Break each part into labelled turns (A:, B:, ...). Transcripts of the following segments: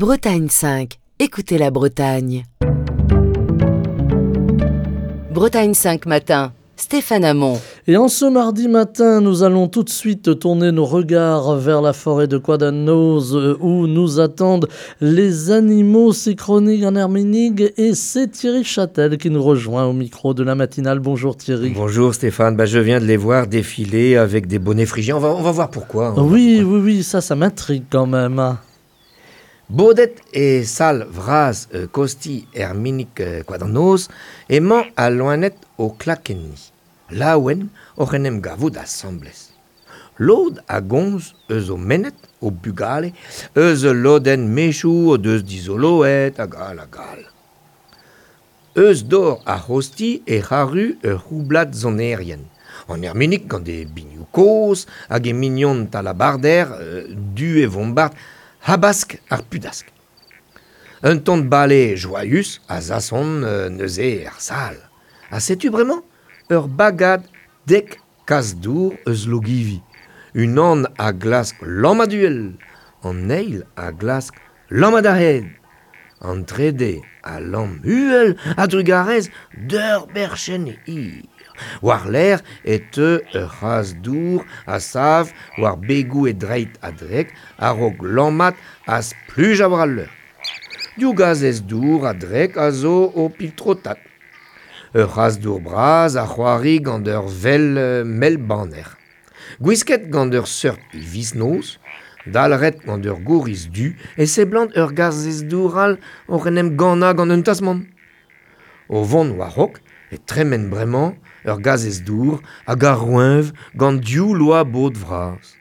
A: Bretagne 5, écoutez la Bretagne. Bretagne 5 matin, Stéphane Hamon.
B: Et en ce mardi matin, nous allons tout de suite tourner nos regards vers la forêt de Koad an Noz où nous attendent les animaux synchroniques en Herminig et c'est Thierry Châtel qui nous rejoint au micro de la matinale. Bonjour Thierry.
C: Bonjour Stéphane, bah, je viens de les voir défiler avec des bonnets phrygiens. On va voir pourquoi. On va
B: Oui,
C: voir pourquoi.
B: oui, oui, ça m'intrigue quand même.
C: Bodet e sal vras Kosti Herminig Koad an Noz emañ al loened o klakenniñ. Laouen oc'h en em gavout asambles. Lod a gomz eus o menned, o bugale, eus ul lodenn mezhioù o deus dizoloet hag all hag all. Eus dor ar c'hozhti ec'h arru ur c'houblad sonerien. An Erminig gant e binioù kozh hag e mignon talabarder du e vombard habask ar pudask. Un ton bale joaius a zasson neuze er sal. Ha setu bremañ ur bagad dek kazh-dour eus Logivi. Unan a glask lammat uhel, an eil a glask lammat a-hed. An trede a lamm uhel a-drugarez d'ur berchenn hir. War-lerc'h e teu ur c'hazh-dour a sav war begoù e dreid a-drek a-raok lammat ha splujañ war al leur. Div gazhez-dour a-drek a zo o piltrotat. Ur c'hazh-dour bras a c'hoari gant ur vell mell-banner. Gwisket gant ur seurt hiviz-noz, dalc'het gant ur gouriz du e seblant ur gazhez-dour all oc'h en em gannañ gant un tasmant. O vont war-raok e tremen bremañ ur gazhez-dour hag a roeñv gant div loa bod vras.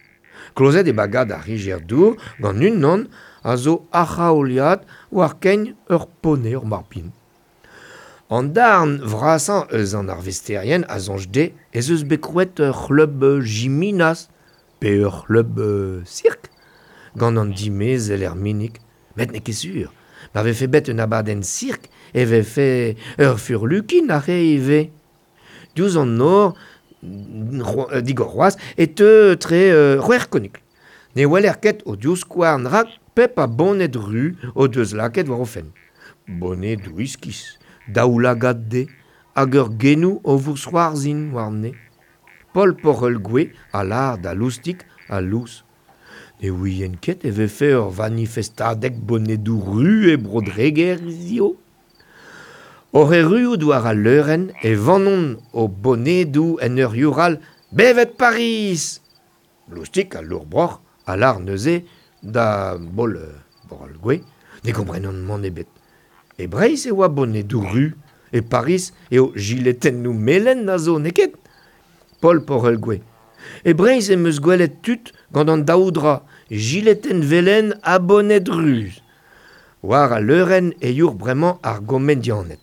C: Klozet eo bagad ar rijer-dour gant unan a zo a-c'haoliad war kein ur pone ur marpin. An darn vrasañ eus an arvesterien a soñj dezhe ez eus bet krouet ur c'hleub jiminas pe ur c'hleub sirk gant an dimezell Erminig. Met n'eo ket sur. Ma vefe bet un abadenn sirk e vefe ur furlukin aze ivez. Diouzh an nor digor c'hoazh e teu tre c'hwec'h konikl. Ne weler ket o divskouarn rak pep a boned ru o deus lakaet war o fenn. Bonedoù iskis, daoulagad dezhe hag ur genoù o vousc'hoarzhin warne. Paol Porc'hell-Gouez a lâr da Loustig ha Lous. Ne ouien ket e vefe ur vanifestadeg bonedoù ru e Bro-Dreger hiziv. Oc'h erruout war al leurenn e vannont o bonedoù en ur youc'hal Bevet Pariz ! Loustig al lourbroc'h a lâr neuze da Baol Porc'hell-Gouez ne gomprenan mann ebet. E Breizh e oa bonedoù ru, e Pariz eo jiletennoù melen a zo, n'eo ket ? Paol Porc'hell-Gouez. E Breizh em eus gwelet tud gant an daou dra, jiletenn velen ha boned ruz. War al leurenn e youc'h bremañ ar gomedianed.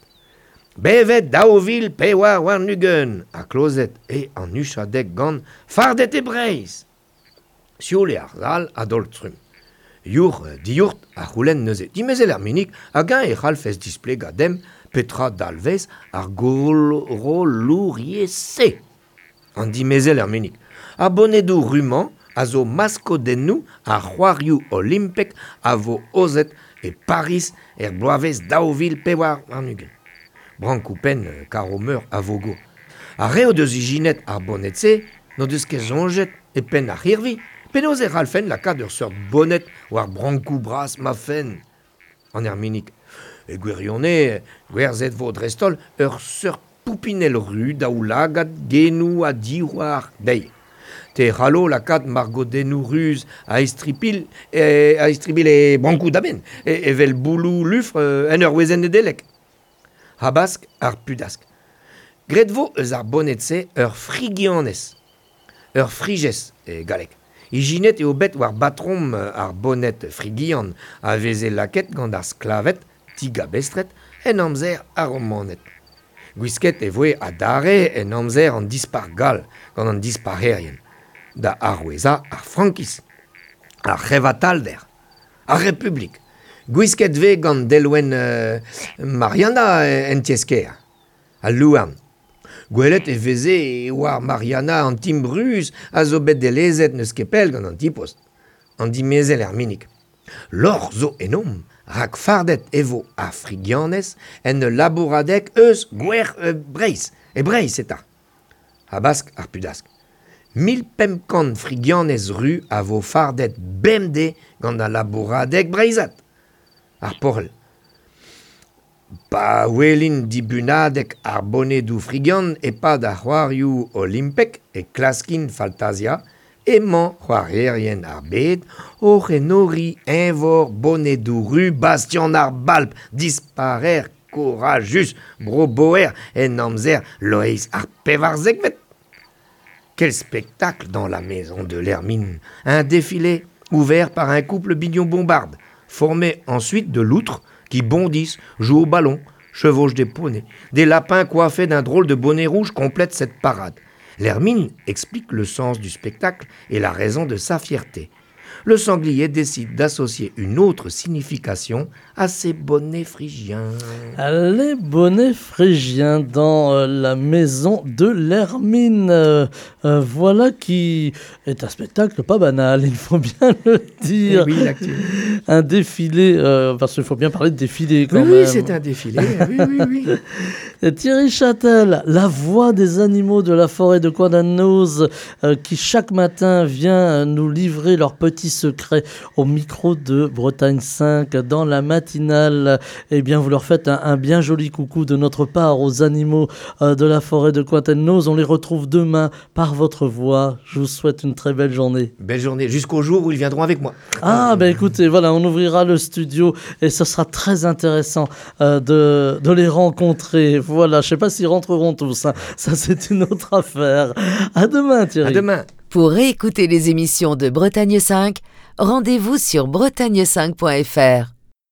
C: Bevet 2024 ha klozet eo an huchadeg gant Fardet e Breizh ! Sioul eo ar sal a-daol-trumm. Youc'h diourt a c'houlenn neuze dimezell Erminig hag-eñ e c'hallfes displegañ demp petra dalvez ar gorollouriezh-se. An dimezell Erminig. Ar bonedoù ru-mañ a zo maskodennoù ar c'hoarioù olimpek a vo aozet e Pariz er bloavezh 2024. Brankoù-penn Karo-Meur a vogo. Ar re o deus ijinet ar boned-se n'o deus ket soñjet e penn ar c'hirvi. Penaos e c'hallfen lakaat ur seurt boned war brankoù bras ma fenn ? An Erminig. E gwirionez, gwerzhet vo dreist-holl ur seurt poupinell ru daoulagad genoù ha divhar dezhi. Te c'hallo lakaat margodennoù ruz a-istribilh e brankoù da benn, evel bouloù lufr en ur wezenn Nedeleg. Habask ar pudask. Graet vo eus ar boned-se ur frigianez, ur frijez e galleg. Ijinet eo bet war batrom ar boned frigian a veze lakaet gant ar sklaved digabestret en amzer ar Romaned. Gwisket e voe adarre en amzer an Dispac'h gall gant an dispac'herien, da arouezañ ar frankiz, ar c'hevatalder, ar Republik. Gwisket vez gant delwenn Marianna en tiez-kêr, al louarn. Gwelet e veze war Marianna an timbr ruz a zo bet delezet n'eus ket pell gant an ti-post, an dimezell Erminig. Lorc'h zo ennomp, rak fardet e vo ar frigianez en ul labouradeg eus gwer Breizh, e Breizh eta. Habask ar pudask. 1500 frigianez ru a vo fardet bemdez gant al labouradeg breizhat. Ar porc'hell. Pa welin dibunadeg ar bonedoù frigian e-pad ar c'hoarioù olimpek e klaskin faltaziañ emañ c'hoarierien ar bed oc'h enoriñ eñvor bonedoù ru Bastian ar Balp disparer kourajus Bro-Boer en amzer Loeiz ar pevarzekvet. Quel spectacle dans la maison de l'Hermine! Un défilé ouvert par un couple bignon-bombarde, formé ensuite de loutres qui bondissent, jouent au ballon, chevauchent des poneys. Des lapins coiffés d'un drôle de bonnet rouge complètent cette parade. L'Hermine explique le sens du spectacle et la raison de sa fierté. Le sanglier décide d'associer une autre signification à ses bonnets phrygiens.
B: Les bonnets phrygiens dans la maison de l'Hermine. Voilà qui est un spectacle pas banal, il faut bien le dire.
C: Eh oui, l'actu.
B: Un défilé, parce qu'il faut bien parler de défilé quand
C: Oui,
B: même.
C: oui, c'est un défilé. Oui, oui, oui.
B: Et Thierry Châtel, la voix des animaux de la forêt de Koad an Noz, qui chaque matin vient nous livrer leurs petits secrets au micro de Bretagne 5 dans la matinale. Eh bien, vous leur faites un bien joli coucou de notre part aux animaux de la forêt de Koad an Noz. On les retrouve demain par votre voix. Je vous souhaite une très belle journée.
C: Belle journée, jusqu'au jour où ils viendront avec moi.
B: Ah, ben écoutez, voilà, on ouvrira le studio et ce sera très intéressant de les rencontrer. Voilà, je sais pas s'ils rentreront tous, hein. Ça, c'est une autre affaire. À demain, Thierry.
C: À demain.
A: Pour réécouter les émissions de Bretagne 5, rendez-vous sur bretagne5.fr.